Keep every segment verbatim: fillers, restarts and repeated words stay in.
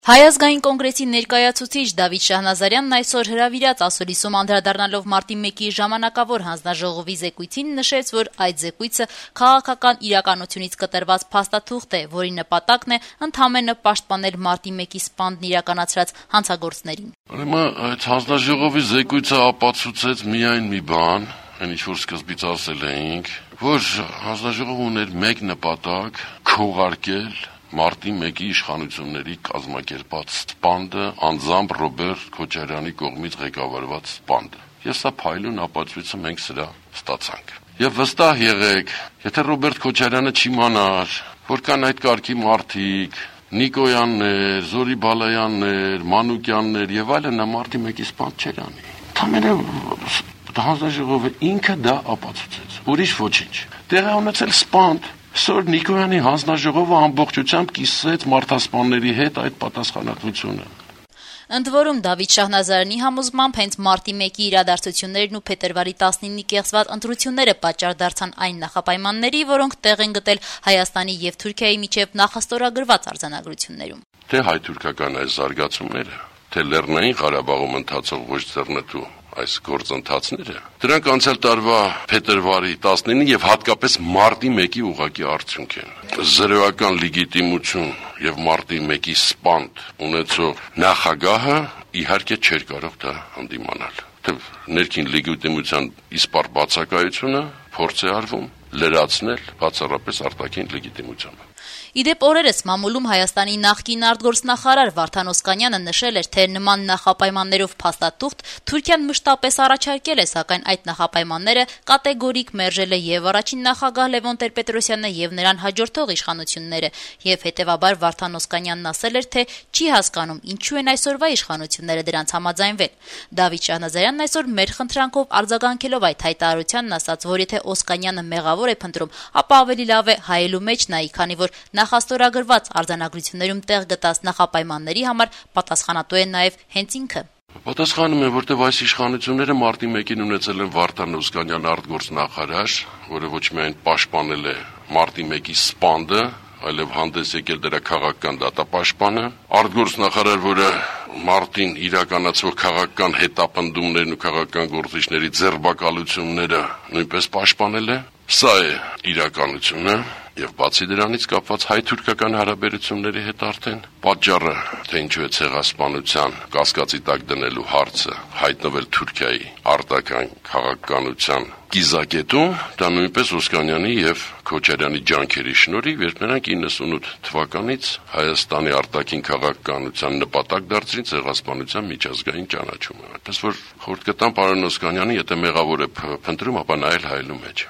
Հայ ազգային կոնգրեսի ներկայացուցիչ Դավիթ Շահնազարյանն այսօր հրավիրած ասուլիսում անդրադառնալով մարտի մեկի ժամանակավոր հանձնաժողովի զեկույցին նշեց, որ այդ զեկույցը քաղաքական իրականությունից կտրված փաստաթուղթ է, որի նպատակն է ընդամենը պաշտպանել մարտի մեկի սպանդն իրականացրած հանցագործներին։ Ուրեմն այդ հանձնաժողովի զեկույցը ապացուցեց միայն մի բան, այն ինչ որ սկզբից ասել էինք, որ հանձնաժողովը ուներ մեկ նպատակ՝ քողարկել մարտի մեկի իշխանությունների կազմակերպած սպանդը, անձամբ Ռոբերտ Քոչարյանի կողմից ղեկավարված սպանդը։ Եվ սա փայլուն ապացույցը մենք սրա ստացանք։ Եվ վստահ եղեք, եթե Ռոբերտ Քոչարյանը չիմանար, որ կան այդ կարգի մարդիկ, Նիկոյաններ, Զորի Բալայաններ, Մանուկյաններ եւ այլն, նա մարտի մեկի սպանդ չէր անի։ Ընդհանրապես հանձնաժողովը ինքը դա ապացուցեց։ Ուրիշ ոչինչ։ Տեղի ունեցել սպանդ, Սոր Նիկոյանի հանձնաժողովը ամբողջությամբ կիսեց մարդասպանների հետ այդ պատասխանատվությունը։ Ընդ որում Դավիթ Շահնազարյանի համոզմամբ հենց մարտի մեկի իրադարձություններն ու փետրվարի տասնինի կեղծված ընտրությունները պատճառ դարձան այն նախապայմանների, որոնք տեղ են գտել Հայաստանի եւ Թուրքիայի միջև նախաստորագրված արձանագրություններում։ Թե հայ-թուրքական այս զարգացումները, թե Լեռնային Ղարաբաղում ընթացող ոչ ձեռնտու այս գործընթացները, դրանք անցյալ տարվա փետրվարի տասնինը եւ հատկապես մարտի մեկի ուղղակի արդյունք են։ Զրոյական լեգիտիմություն եւ մարտի մեկի սպանդ ունեցող նախագահը իհարկե չէր կարող դա հանդիմանալ։ Թե ներքին լեգիտիմության իսպառ բացակայությունը փորձ է արվում լրացնել բացառապես արտաքին լեգիտիմությամբ։ Իդեպ օրերս մամուլում Հայաստանի նախկին արտգործնախարար Վարդան Օսկանյանը նշել էր, թե նման նախապայմաններով փաստաթուղթ Թուրքիան մշտապես առաջարկել է, սակայն այդ նախապայմանները կատեգորիկ մերժել է եւ առաջին նախագահ Լևոն Տեր-Պետրոսյանը եւ նրան հաջորդող իշխանությունները, եւ հետեւաբար Վարդան Օսկանյանն ասել էր, թե չի հասկանում ինչու են այսօրվա իշխանությունները դրանց համաձայնվել։ Դավիթ Շահնազարյանն այսօր մեր խնդրանքով արձագանքելով այդ հայտարարությանն ասաց, որ եթե Օսկանյանը մեղավոր է փնտրում, ապա ավելի լավ է հայելու մեջ նայի, քանի որ նախաստորագրված արձանագրություններում տեղ գտած նախապայմանների համար պատասխանատու է նաև հենց ինքը։ Պատասխանում է, որտեղ այս իշխանությունները մարտի մեկին ունեցել են Վարդան Օսկանյան արտգործնախարար, որը ոչ միայն պաշտպանել է մարտի մեկի սպանդը, այլև հանդես եկել դրա քաղաքական դատապաշտպանը, արտգործնախարար, որը մարտին իրականացվող քաղաքական հետապնդումներն ու քաղաքական գործիչների ձերբակալությունները նույնպես պաշտպանել է։ Սա է իրականությունը։ Եվ բացի դրանից կապված հայ-թուրքական հարաբերությունների հետ արդեն պատճառը, թե ինչու է ցեղասպանության կասկածի տակ դնելու հարցը հայտնվել Թուրքիայի արտաքին քաղաքականության կիզակետում, դա նույնպես Օսկանյանի եւ Քոչարյանի ջանքերի շնորհիվ, երբ նրանք իննսունութ թվականից Հայաստանի արտաքին քաղաքականության նպատակ դարձրին ցեղասպանության միջազգային ճանաչումը։ Այդպես որ խորհուրդ կտամ պարոն Օսկանյանի, եթե մեղավոր է փնտրում, ապա նայել հայելու մեջ։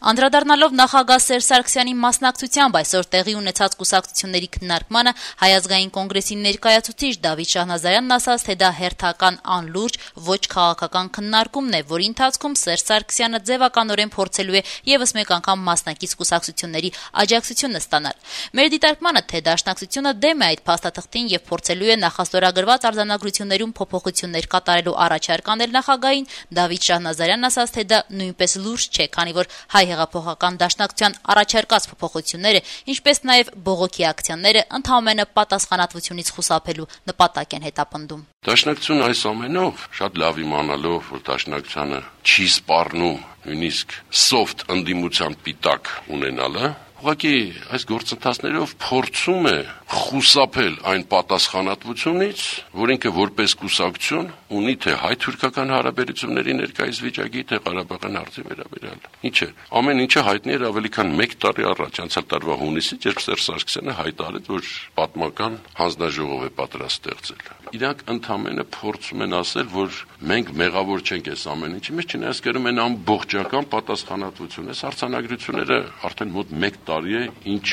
Անդրադառնալով նախագահ Սերժ Սարգսյանի մասնակցությամբ այսօր տեղի ունեցած կուսակցությունների քննարկմանը Հայ ազգային կոնգրեսի ներկայացուցիչ Դավիթ Շահնազարյանն ասաց, թե դա հերթական անլուրջ ոչ քաղաքական քննարկումն է, որի ընթացքում Սերժ Սարգսյանը ձևականորեն փորձելու է եւս մեկ անգամ մասնակից կուսակցությունների աջակցությունը ստանալ։ Մեր դիտարկմանը, թե դաշնակցությունը դեմ է այդ փաստաթղթին եւ փորձելու է նախաստորագրված արձանագրություններում փոփոխություններ կատարելու առաջարկ անել նախագահին, Դավիթ Շահնազարյանն ասաց, թե դա նույնպես լուրջ չէ, քանի որ հայ հեղափոխական դաշնակցության առաջարկած փոփոխությունները, ինչպես նաև բողոքի ակցիաները ընդհանրապես պատասխանատվությունից խուսափելու նպատակ են հետապնդում։ Դաշնակցությունը այս ամենով շատ լավ իմանալով, որ դաշնակցությանը չի սպառնում նույնիսկ soft ընդդիմության պիտակ ունենալը, ուղղակի այս գործընթացներով փորձում է խուսափել այն պատասխանատվությունից, որ ինքը որպես կուսակցություն ունի թե հայ-թուրքական հարաբերությունների ներկայիս վիճակի, թե Ղարաբաղյան հարցի վերաբերյալ։ Ինչ է, ամեն ինչը հայտնի էր ավելի քան մեկ տարի առաջ, անցյալ տարվա հունիսից, երբ Սերժ Սարգսյանը հայտարարեց, որ պատմական հանձնաժողով է պատրաստ ստեղծել։ Իրանք ընդհանրապես փորձում են ասել, որ մենք մեղավոր չենք այս ամեն ինչի մեջ, չնայած կերում են ամբողջական պատասխանատվություն։ Այս արձանագրությունները արդեն մոտ մեկ տարի է, ինչ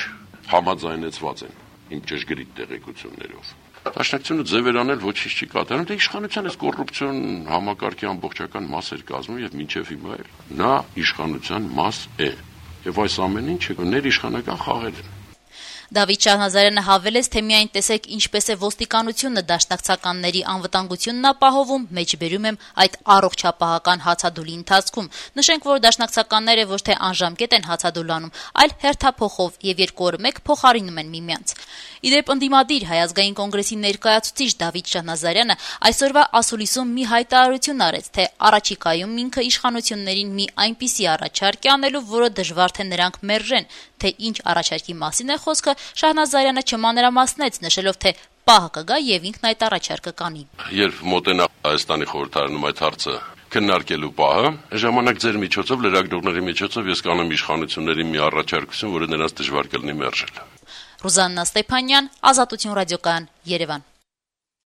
համաձայնեցված են իմ ճշգրիտ տեղեկություններով։ Դաշնակցությունը ձևեր անել ոչինչ չի կատարում, դե իշխանության այս կոռուպցիոն համակարգի ամբողջական մաս էր կազմում եւ մինչեւ հիմա էլ նա իշխանության մաս է։ Եվ այս ամեն ինչը ներիշխանական խաղեր են։ Դավիթ Շահնազարյանը հավելեց, թե միայն տեսեք ինչպես է ոստիկանությունը դաշնակցականների անվտանգությունն ապահովում, մեջբերում եմ այդ առողջապահական հացադուլի ընթացքում։ Նշենք, որ դաշնակցականները ոչ թե անժամկետ են հացադուլանում, այլ հերթափոխով եւ երկու օր մեկ փոխարինում են միմյանց։ Իդեպ ընդդիմադիր Հայ ազգային կոնգրեսի ներկայացուցիչ Դավիթ Շահնազարյանը այսօրվա ասուլիսում մի հայտարարություն արեց, թե առաջիկայում ինքը իշխանություններին մի այնպիսի առաջարկ է անելու, որը դժվար թե նրանք մերժեն, թե ինչ առաջարկի մասին է խոսքը, Շահնազարյանը չմանրամասնեց, նշելով, թե պահը կգա եւ ինքն այդ առաջարկը կանի։ Երբ մոտենա Հայաստանի խորհրդարանում այդ հարցը քննարկելու պահը, ժամանակ ձեր միջոցով, լրագրողների միջոցով ես կանեմ իշխանությունների մի առաջարկություն, որը նրանց դժվար կլինի մերժել։ Ռուզաննա Ստեփանյան, Ազատություն ռադիոկայան, Երևան։